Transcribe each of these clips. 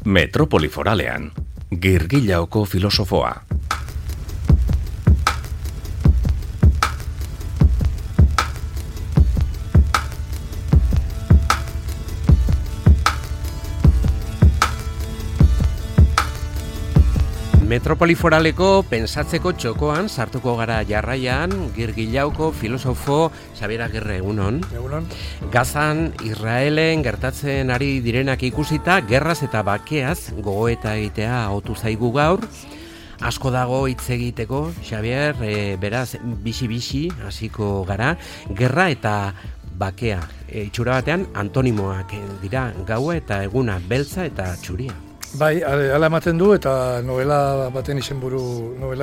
Metropoli Foralean, Girgillaoko filosofoa. Metropoli Foraleko pensatzeko txokoan sartuko gara jarraian Girgillaoko filosofo Xabier Agirre, egunon. Egunon. Gazan, Israelen gertatzen ari direnak ikusita, gerraz eta bakeaz gogoeta egitea otu zaigu gaur. Asko dago hitz egiteko, Xabier, beraz, bixi-bixi hasiko gara, gerra eta bakea. Itxura batean, antonimoak dira, gaua eta eguna, beltza eta txuria. Bai, ala ematen du eta novela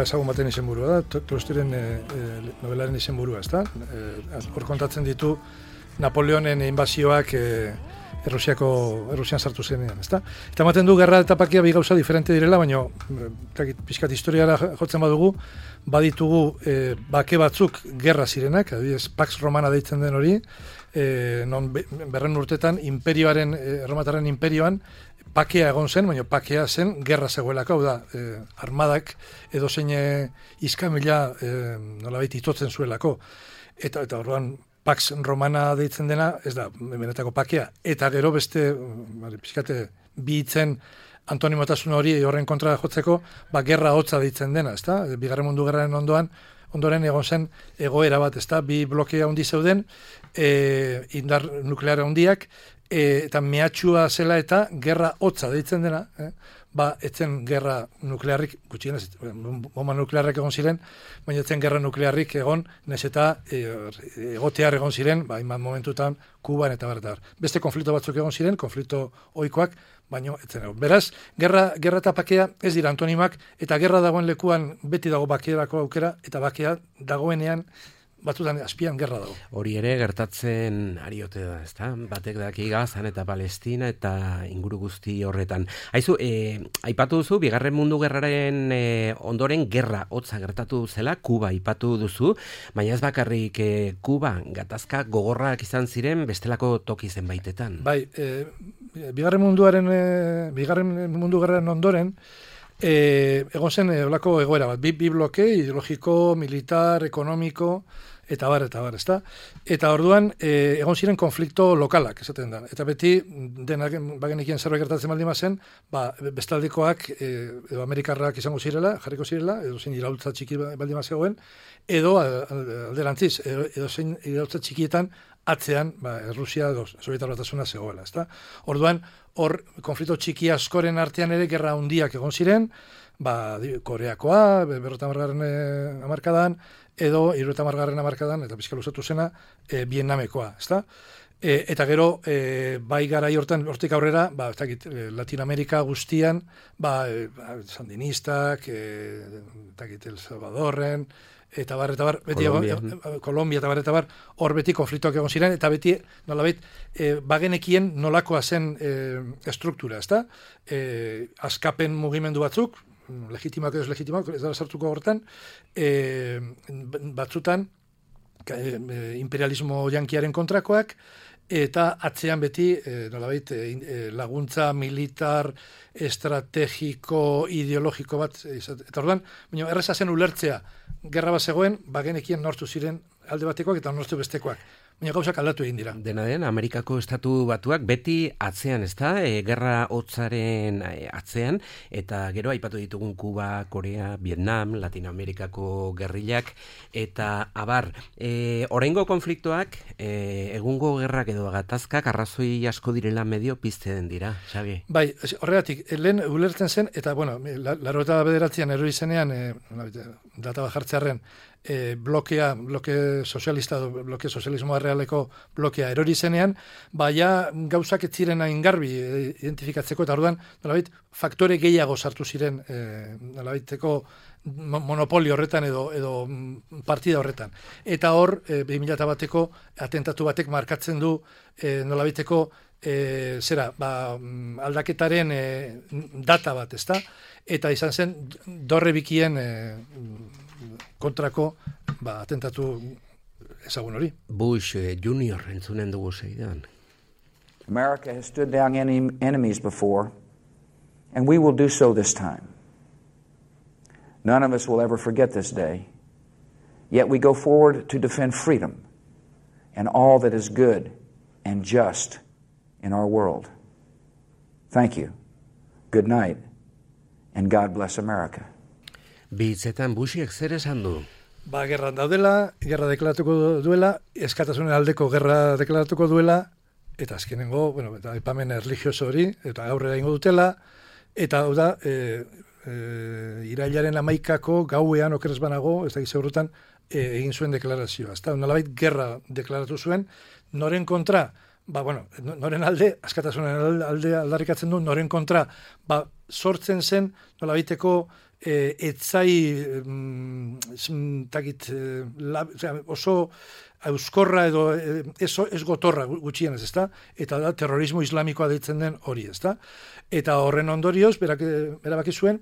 ezagun baten izenburua da, Tolstoiren novelaren izenburua, ezta? Hor kontatzen ditu Napoleonen inbazioak Errusian sartu zenean, ezta? Eta ematen du gerra eta bakea bi gauza diferente direla, baina pixkat historiara jotzen badugu, baditugu bake batzuk gerra zirenak, adibidez Pax Romana deitzen den hori, non 100 urtetan erromatarren imperioan bakea egon zen, baina bakea zen gerra zegoelako, hau da, armadak edozein iskamila nolabait itotzen zuelako. Eta orduan Pax Romana deitzen dena, ez da, benetako bakea. Eta gero beste, pixkate, bi hitzen antonimotasun hori horren kontra jotzeko, gerra hotza deitzen dena, ez da? Bigarren Mundu Gerraren ondoren egon zen egoera bat, ez da? Bi blokea handi zeuden, indar nukleara handiak, eta mehatxua zela eta gerra hotza deitzen dena, etzen gerra nuklearrik, gutxienez, bomba nuklearrak egon ziren, baina etzen gerra nuklearrik egon, nez eta egotear egon ziren, hainbat momentutan, Kuban eta bar. Beste konflikto batzuk egon ziren, konflikto ohikoak, baina etzen egon. Beraz, gerra eta bakea ez dira antonimak, eta gerra dagoen lekuan beti dago bakearako aukera, eta bakea dagoenean batzutan azpian gerra dago. Hori ere gertatzen ariote da, ezta? Batek daki Gazan eta Palestina eta inguru guzti horretan. Haizu, aipatu duzu, Bigarren Mundu Gerraren ondoren gerra hotza gertatu zela, Kuba aipatu duzu, baina ez bakarrik Kuba gatazka gogorrak izan ziren bestelako toki zenbaitetan. Bai, Bigarren Mundu Gerraren ondoren, egon zen olako egoera bat, bi bloke, ideologiko, militar, ekonomiko, eta bar, ezta? Eta orduan, egon ziren konflikto lokalak, esaten da. Eta beti, denak bagenekien zerbait gertatzen baldin bazen, bestaldekoak, edo amerikarrak izango zirela, jarriko zirela, edo zein iraultza txiki baldin bazegoen, edo alderantziz, edo zein iraultza txikietan atzean, Errusia edo Sobietar Batasuna zegoela, ezta? Orduan, hor konflikto txiki askoren artean ere gerra handiak egon ziren, Koreakoa, 50. hamarkadan, edo 70. hamarkadan, eta pixka luzatu zena, Vietnamekoa, ezta? Eta gero, bai garai hortik aurrera, Latinoamerika guztian, sandinistak, El Salvadorren, eta bar, beti Kolombia eta bar, hor beti konfliktoak egon ziren, eta beti, nolabait, bagenekien nolakoa zen estruktura, ezta? Askapen mugimendu batzuk, legitimoak edo legitimoak, ez dara sartuko hortan, batzutan, imperialismo yankiaren kontrakoak, eta atzean beti, nolabait, laguntza militar, estrategiko, ideologiko bat, eta orduan, baina erreza zen ulertzea, gerra bat zegoen, bagenekien nortu ziren alde batekoak eta nortu bestekoak. Baina gauzak aldatu egin dira. Dena den, Amerikako Estatu Batuak beti atzean, ezta? Gerra hotzaren atzean, eta gero aipatu ditugun Kuba, Korea, Vietnam, Latinoamerikako gerrilak, eta abar, oraingo konfliktoak, egungo gerrak edo gatazkak arrazoi asko direla medio pizten dira, Xabi? Bai, horregatik, lehen ulertzen zen, eta, bueno, 89an erori zenean, data bajartzearren, bloke sozialismoa realeko blokea erori zenean, gauzak ez ziren hain garbi identifikatzeko, eta orduan, nolabait, faktore gehiago sartu ziren nolabaiteko monopolio horretan edo partida horretan. Eta hor, 2001ko atentatu batek markatzen du nolabaiteko aldaketaren data bat, ezta? Eta izan zen, dorre bikien kontrako atentatu ezagun hori. Bush Junior entzunen dugu zeidan. America has stood down enemies before, And we will do so this time. None of us will ever forget this day. Yet we go forward to defend freedom and all that is good and just in our world. Thank you. Good night. And God bless America. Bitzetan Bushiek zer esan du? Gerran daudela, gerra deklaratuko duela, eskatasunen aldeko gerra deklaratuko duela, eta azkenengo, eta aipamen erlijioso hori, eta aurrera ingo dutela, eta hau da, irailaren 11ko gauean okeres banago, ez da gizaurutan, egin zuen deklarazioa. Ez da, nolabait gerra deklaratu zuen, noren kontra, noren alde, askatasunen alde aldarrikatzen du, noren kontra, sortzen zen, nolabaiteko etzai oso euskorra edo ez gotorra gutxienez, ezta? Eta da terrorismo islamikoa deitzen den hori, ezta? Eta horren ondorioz, erabaki zuen,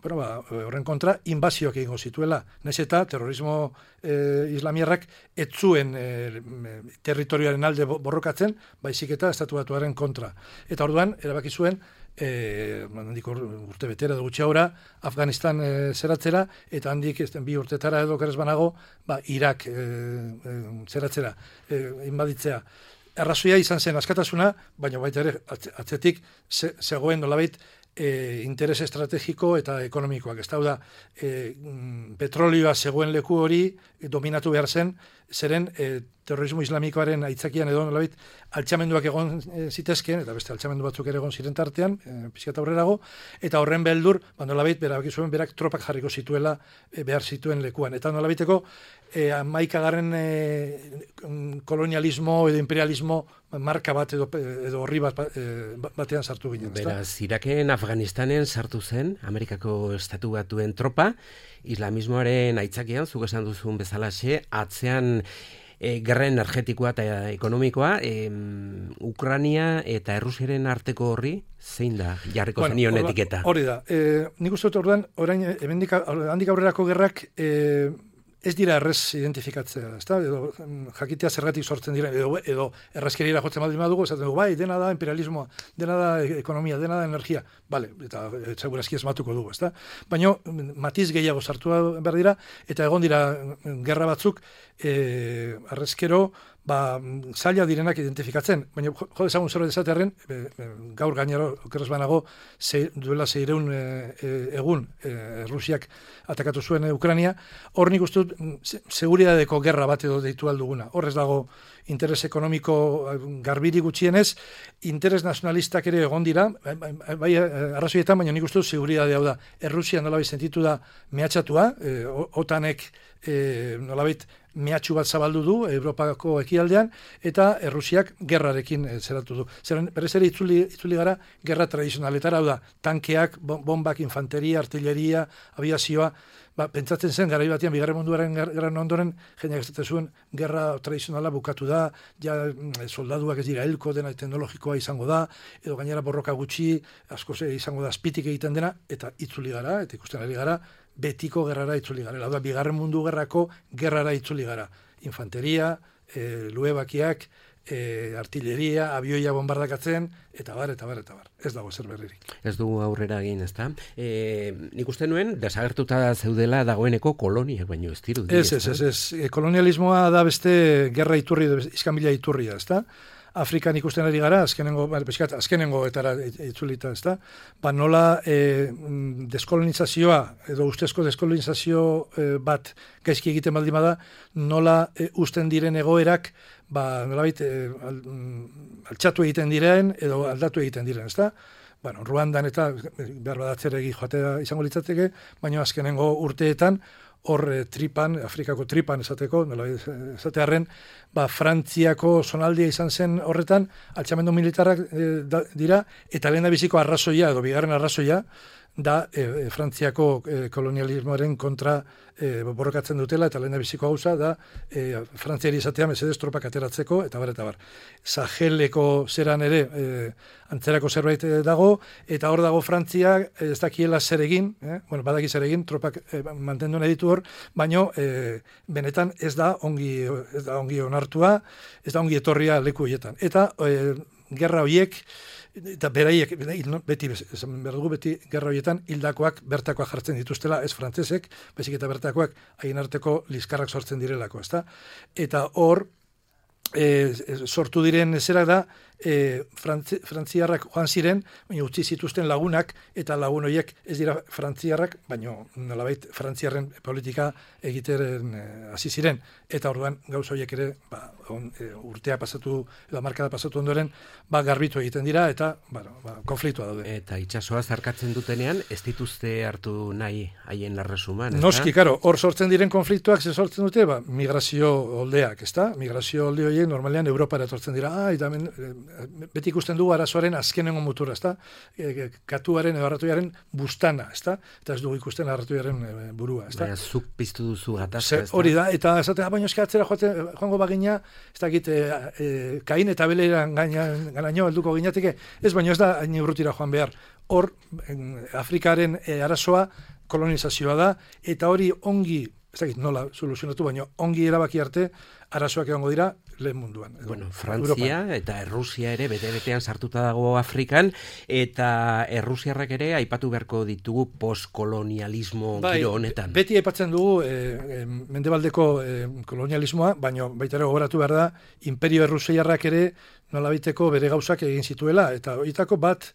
horren kontra inbazioak egingo zituela. Naiz eta terrorismo islamierrak ez zuen territorioaren alde borrokatzen, baizik eta estatu batuaren kontra. Eta orduan, erabaki zuen, urte betera edo gutxiaura, Afganistan zeratzera, eta handik 2 urtetara edo okeres banago, Irak zeratzera, inbaditzea. Arrazoia izan zen askatasuna, baina baita ere atzetik zegoen nolabait interes estrategiko eta ekonomikoak. Ez da, petrolioa zegoen leku hori dominatu behar zen, zeren terrorismo islamikoaren aitzakian edo nolabait altxamenduak egon zitezkeen, eta beste altxamendu batzuk ere egon ziren tartean, pixkat aurrerago, eta horren beldur, nolabait berabakizuen berak tropak jarriko zituela behar zituen lekuan. Eta nolabaiteko 11. Kolonialismo edo imperialismo marka bat edo horri batean sartu ginen. Beraz, Iraken Afganistanen sartu zen, Amerikako Estatu Batuen tropa, islamismoaren aitzakian, zuk esan duzun bezalaxe, atzean gerra energetikoa eta ekonomikoa, Ukraina eta Errusiaren arteko horri, zein da jarriko zenion etiketa? Hori da. Nik uste dut orduan, handik aurrerako gerrak ez dira errez identifikatzea, ezta? Edo jakitea zergatik sortzen dira, edo errazkeriera jotzen baldin badugu, esaten dugu, dena da imperialismoa, dena da ekonomia, dena da energia, eta segurazki esmatuko dugu, ezta? Baina matiz gehiago sartu behar dira, eta egon dira gerra batzuk, arrezkero, zaila direnak identifikatzen, baina jo dezagun zerbait esatearren, gaur gainero okeres banago duela 600 egun Rusiak atakatu zuen Ukraina, hor nik uste dut seguridadeko gerra bat edo deitu alduguna. Hor ez dago interes ekonomiko garbiri gutxienez, interes nacionalistak ere egon dira, bai arrazoietan, baina nik uste dut seguridade hau da. Errusia nolabait sentitu da mehatxatua, OTANek nolabait mehatxu bat zabaldu du Europako ekialdean, eta Errusiak gerrarekin zeratu du. Berez ere itzuli gara gerra tradizionaletara, hau da, tankeak, bombak, infanteria, artilleria, aviazioa, pentsatzen zen, garai batean, Bigarren Munduaren gerran ondoren, jendeak esaten zuen, gerra tradizionala bukatu da, ja soldaduak ez dira helko, dena teknologikoa izango da, edo gainera borroka gutxi, asko izango da azpitik egiten dena, eta itzuli gara, eta ikusten ari gara, betiko gerrara itzuli gara. Da, Bigarren Mundu Gerrako gerrara itzuli gara. Infanteria, luebakiak, artilleria, abioia bombardakatzen, eta bar. Ez dago zer berririk. Ez dugu aurrera egin, ezta? Nik uste nuen, desagertuta zeudela dagoeneko koloniak, baino ez dirudi. Ez. Kolonialismoa da beste gerra iturri, iskanbila iturria, ezta? Afrikan ikusten ari gara, azkenengo etara itzulita, ezta? Nola deskolonizazioa, edo ustezko deskolonizazio bat gaizki egiten baldin bada, nola usten diren egoerak, nolabait altxatu egiten diren, edo aldatu egiten diren, ezta? Ruandan eta behar badatzeregi joatea izango litzateke, baina azkenengo urteetan, hor tripan, Afrikako tripan esateko, esatearren, Frantziako zonaldia izan zen horretan, altxamendu militarrak dira, eta lehen da biziko arrazoia, edo bigarren arrazoia, da Frantziako kolonialismoaren kontra borrokatzen dutela, eta lehen da biziko gauza, da Frantziari esatea mesedez tropak ateratzeko, eta bar. Saheleko zeran ere antzerako zerbait dago, eta hor dago Frantzia ez dakiela zer egin, badaki zer egin, tropak mantendu nahi ditu hor, baino benetan ez da ongi onartua, ez da ongi etorria leku horietan. Eta gerra horiek eta beraiek, beti, esan behar dugu, beti gerra horietan hildakoak bertakoak jartzen dituztela, ez frantzesek, baizik eta bertakoak haien arteko liskarrak sortzen direlako, ezta? Eta hor, sortu diren zerak da, frantziarrak joan ziren, baina utzi zituzten lagunak, eta lagun horiek ez dira frantziarrak, baina nolabait frantziarren politika egiteren hasi ziren, eta orduan gauz horiek ere urtea pasatu, edo markada pasatu ondoren, garbitu egiten dira, eta konfliktua daude. Eta itsasoa zarkatzen dutenean, ez dituzte hartu nahi haien larresuman, ezta? Noski, karo, hor sortzen diren konfliktuak ze sortzen dute, migrazio oldeak, ezta? Migrazio olde horiek normalean Europara etortzen dira, eta beti ikusten dugu arazoaren azkenengo mutura, ezta? Katuaren edo arratoiaren bustana, ezta? Eta ez dugu ikusten arratoiaren burua, ezta? Baina zuk piztu duzu gatazka, ezta? Hori da, eta esatea, baina eskatzera joango bagina, ez dakit, Kain eta Beleran ganaino helduko ginateke, ez baina ez da hain urrutira joan behar. Hor, Afrikaren arazoa kolonizazioa da, eta hori ongi, ez dakit nola soluzionatu, baina ongi erabaki arte arazoak egongo dira lehen munduan. Bueno, Frantzia eta Errusia ere bete-betean sartuta dago Afrikan, eta Errusiarrak ere aipatu beharko ditugu postkolonialismo giro honetan. Beti aipatzen dugu mendebaldeko kolonialismoa, baina baita ere gogoratu behar da, Imperio Errusiarrak ere nolabiteko bere gauzak egin zituela, eta horietako bat,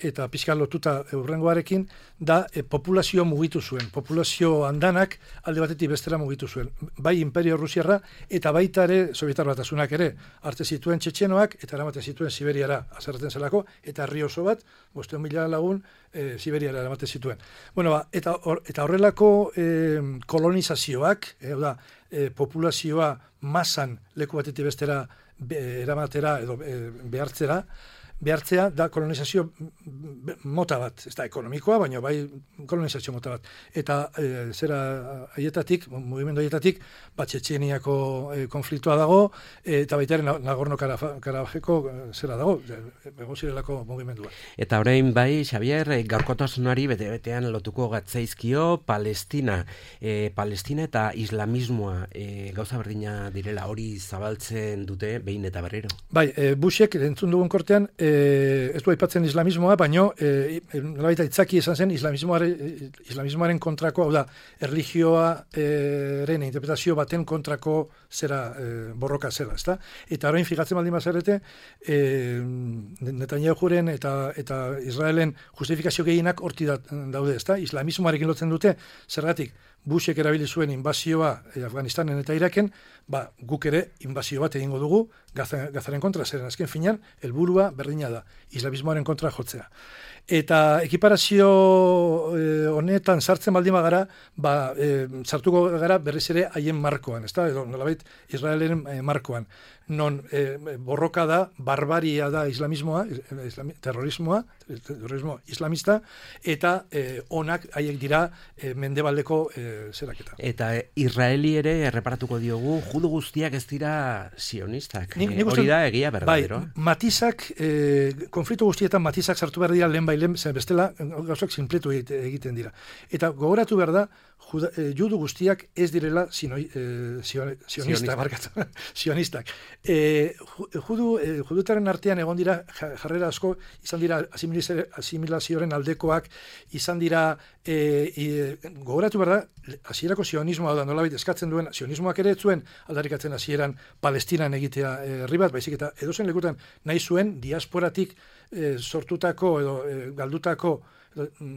eta pixka lotuta hurrengoarekin, da populazio mugitu zuen. Populazio andanak alde batetik bestera mugitu zuen. Bai Imperio Errusiarra eta baita ere Sobietar Batasunak ere arte zituen txetxenoak eta eramaten zituen Siberiara azerraten zelako, eta herri oso bat, 500.000 lagun Siberiara eramaten zituen. Bueno, eta horrelako kolonizazioak, populazioa masan leku batetik bestera eramatera edo behartzea da kolonizazio mota bat, ez da ekonomikoa, baina bai kolonizazio mota bat. Eta haietatik, mugimendu haietatik, Txetxeniako konfliktua dago, eta baita ere Nagorno-Karabajeko zera dago, egon zirelako mugimendua. Eta orain bai, Xabier, gaurkotasunari bete-betean lotuko gatzaizkio Palestina. Palestina eta islamismoa gauza berdina direla, hori zabaltzen dute behin eta berriro. Bai, Bushek entzun dugun kortean, ez du aipatzen islamismoa, baino nolabaita itzaki esan zen islamismoaren kontrako, hau da, erlijioaren interpretazio baten kontrako zera borroka zela, ezta? Eta orain fijatzen baldin bazarete, Netanyahuren eta Israelen justifikazio gehienak horti daude, ezta? Islamismoarekin lotzen dute, zergatik, Bushek erabili zuen inbazioa Afganistanen eta Iraken, guk ere inbazio bat egingo dugu Gazaren kontra, zeren azken finean, helburua berdina da, islamismoaren kontra jotzea. Eta ekiparazio honetan sartzen baldin bagara, sartuko gara berriz ere haien markoan, ezta? Edo nolabait Israelen markoan. Non borroka da, barbaria da islamismoa, terrorismo islamista, eta onak haiek dira mendebaldeko zeraketa. Eta Israeli ere erreparatuko diogu, judu guztiak ez dira sionistak. Hori da egia berdadero. Bai, matizak, konflikto guztietan matizak sartu behar dira lehen bai lehen, bestela gauzak sinpletu egiten dira. Eta gogoratu behar da, judu guztiak ez direla sionistak. Judutaren artean egon dira jarrera asko, izan dira asimilazioaren aldekoak, izan dira gogoratu behar da, hasierako sionismoa da nolabait eskatzen duen, sionismoak ere zuen aldarrikatzen hasieran Palestinan egitea herri bat, baizik eta edozen lekutan nahi zuen diasporatik sortutako edo galdutako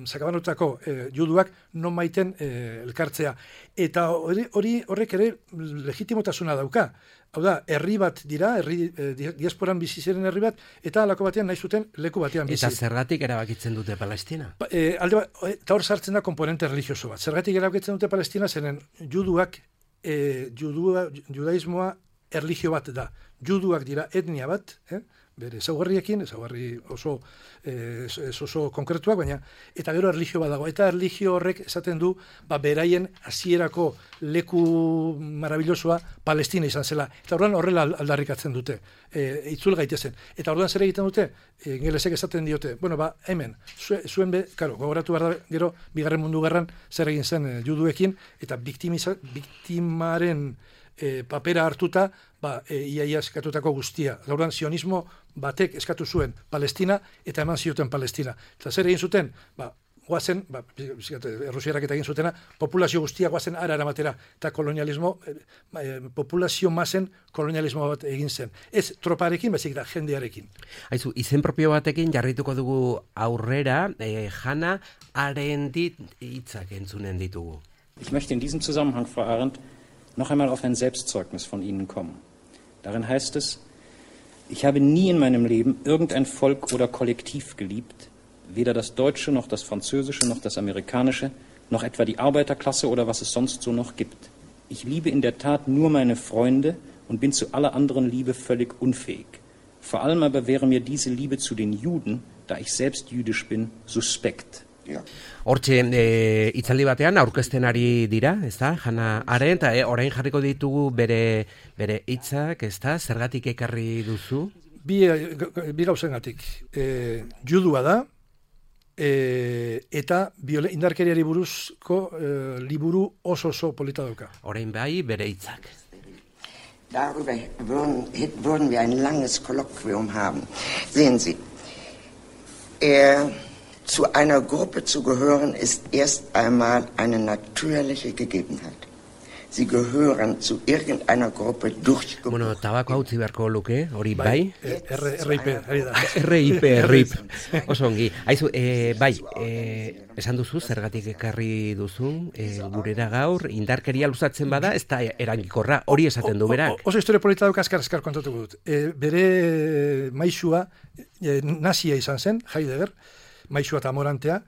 sakabanutako juduak non maiten elkartzea. Eta horrek ere legitimotasuna dauka. Hau da, herri bat dira, diasporan bizi ziren herri bat, eta alako batean nahi zuten leku batean bizi. Eta zergatik erabakitzen dute Palestina? Eta hor sartzen da komponente religioso bat. Zergatik erabakitzen dute Palestina, zeren juduak, judaismoa erlijio bat da. Juduak dira etnia bat, bere ezaugarriekin, ezaugarri oso konkretuak, baina eta gero erlijio bat dago. Eta erlijio horrek esaten du, beraien hasierako leku marabillosoa Palestina izan zela. Eta orduan horrela aldarrikatzen dute, itzul gaitezen. Eta orduan zer egiten dute, ingelesek esaten diote, hemen, zuen gogoratu behar da, gero, Bigarren Mundu Gerran zer egin zen juduekin, eta biktimaren papera hartuta, iaia eskatutako guztia. Orduan, sionismo batek eskatu zuen Palestina eta eman zioten Palestina. Eta zer egin zuten? Guazen, Errusiarak eta egin zutena, populazio guztia guazen ara eramatera, eta kolonialismo, populazio masen kolonialismo bat egin zen. Ez troparekin, baizik da jendearekin. Aizu, izen propio batekin jarrituko dugu aurrera, Hannah Arendt hitzak entzunen ditugu. Ich möchte in diesem Zusammenhang, Frau Arendt, noch einmal auf ein Selbstzeugnis von Ihnen kommen. Darin heißt es, ich habe nie in meinem Leben irgendein Volk oder Kollektiv geliebt, weder das Deutsche, noch das Französische, noch das Amerikanische, noch etwa die Arbeiterklasse oder was es sonst so noch gibt. Ich liebe in der Tat nur meine Freunde und bin zu aller anderen Liebe völlig unfähig. Vor allem aber wäre mir diese Liebe zu den Juden, da ich selbst jüdisch bin, suspekt. Ja. Hortxe, itzaldi batean aurkezten ari dira, ez da, Hannah Arendt, orain jarriko ditugu bere hitzak, ez da, zergatik ekarri duzu? Bi gauzengatik. Judua da, eta indarkeriari buruzko liburu oso polita dauka. Orain bai, bere hitzak. Darüber würden wir ein langes Kolloquium haben. Sehen Sie, zu einer Gruppe zu gehören ist erst einmal eine natürliche Gegebenheit. Sie gehören zu irgendeiner Gruppe durchgeboren. Bueno, tabako hau beharko luke, hori bai? RIP. Osongi. Aizu, bai, esan duzu, zergatik ekarri duzun, gurera gaur, indarkeria luzatzen bada, ez da erangikorra, hori esaten du berak. Oso historia polita duk azkar kontatuko dut. Bere maisua, nazia izan zen, Heidegger, maisua eta amorantea,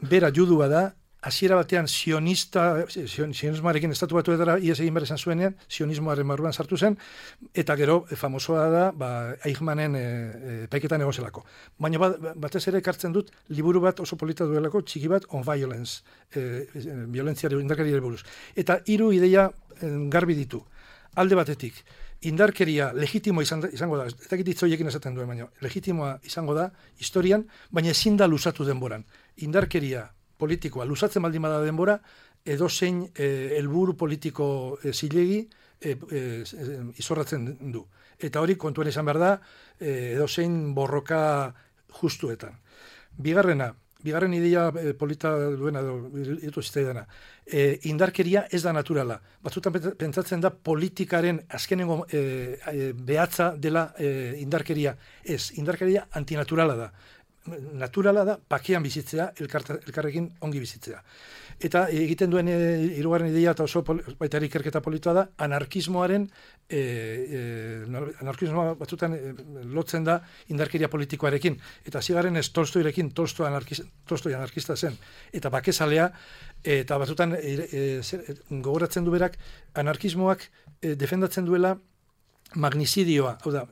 bera judua da, hasiera batean sionismoarekin estatu batuetara ies egin behar izan zuenean, sionismoaren barruan sartu zen, eta gero famosoa da, Eichmannen epaiketan egozelako. Baina batez ere ekartzen dut, liburu bat oso polita duelako, txiki bat, On Violence, violentziari, indarkeriari buruz. Eta 3 ideia garbi ditu. Alde batetik, indarkeria legitimo izango da, eta hitzoiekin esaten duen, baina legitimoa izango da historian, baina ezin da luzatu denboran. Indarkeria politikoa luzatzen baldin bada denbora, edozein helburu politiko zilegi izorratzen du. Eta hori kontuen izan behar da, edozein borroka justuetan. Bigarren ideia polita duena, ditu zitzaidana, indarkeria ez da naturala. Batzutan pentsatzen da politikaren azkenengo behatza dela indarkeria. Ez, indarkeria antinaturala da. Naturala da, bakean bizitzea, elkarrekin ongi bizitzea. Eta egiten duen hirugarren ideia eta oso baita ikerketa politoa da, anarkismoa batzutan lotzen da indarkeria politikoarekin. Eta zigarren ez Tolstoirekin, Tolstoi anarkista zen, eta bakezalea, eta batzutan gogoratzen du berak, anarkismoak defendatzen duela magnizidioa, hau da,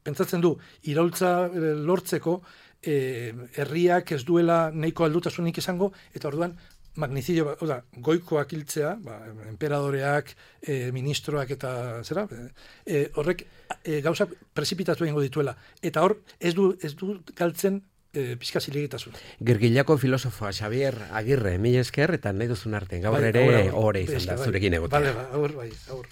pentsatzen du, iraultza lortzeko herriak ez duela nahiko aldutasunik izango, eta orduan magnizidio, goikoak hiltzea, emperadoreak, ministroak eta zera, horrek gauzak prezipitatu egingo dituela. Eta hor, ez du galtzen pixka zilegitasun. Gergillako filosofoa Xabier Agirre, mila esker, eta nahi duzun arte, gaur ere ore izan da zurekin egotea. Bale, aur.